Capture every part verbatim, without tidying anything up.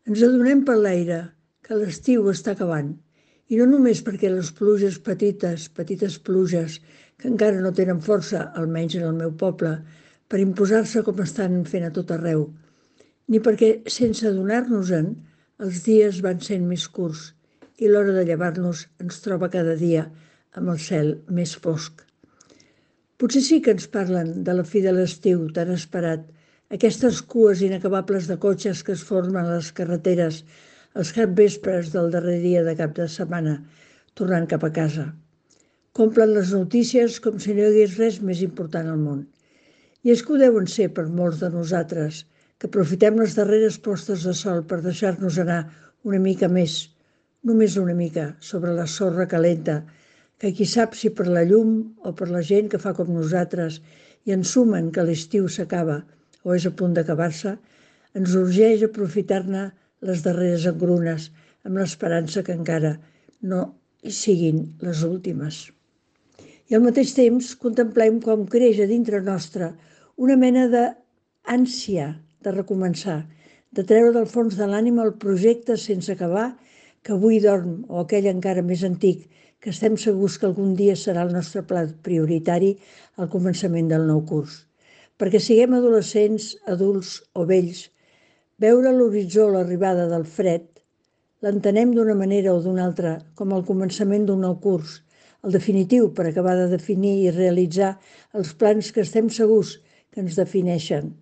Ens adonem per l'aire que l'estiu està acabant, i no només perquè les pluges petites, petites pluges, que encara no tenen força, almenys en el meu poble, per imposar-se com estan fent a tot arreu, ni perquè, sense adonar-nos-en, els dies van sent més curts i l'hora de llevar-nos ens troba cada dia amb el cel més fosc. Potser sí que ens parlen de la fi de l'estiu tan esperat, aquestes cues inacabables de cotxes que es formen a les carreteres els capvespres del darrer dia de cap de setmana, tornant cap a casa. Complen les notícies com si no hi hagués res més important al món. I és que ho deuen ser per molts de nosaltres, que aprofitem les darreres postes de sol per deixar-nos anar una mica més, només una mica, sobre la sorra calenta, que qui sap si per la llum o per la gent que fa com nosaltres i ensumen que l'estiu s'acaba o és a punt d'acabar-se, ens urgeix aprofitar-ne les darreres engrunes amb l'esperança que encara no hi siguin les últimes. I al mateix temps contemplem com creix a dintre nostre una mena d'ànsia de recomençar, de treure del fons de l'ànima el projecte sense acabar que avui dorm, o aquell encara més antic, que estem segurs que algun dia serà el nostre pla prioritari al començament del nou curs. Perquè siguem adolescents, adults o vells, veure a l'horitzó l'arribada del fred l'entenem d'una manera o d'una altra com el començament d'un nou curs, el definitiu per acabar de definir i realitzar els plans que estem segurs que ens defineixen,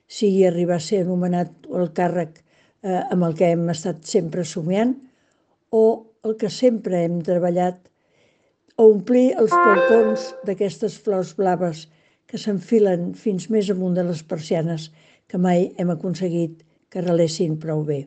sigui arribar a ser anomenat el càrrec eh, amb el que hem estat sempre somiant o el que sempre hem treballat, o omplir els balcons d'aquestes flors blaves que s'enfilen fins més amunt de les persianes que mai hem aconseguit que relessin prou bé.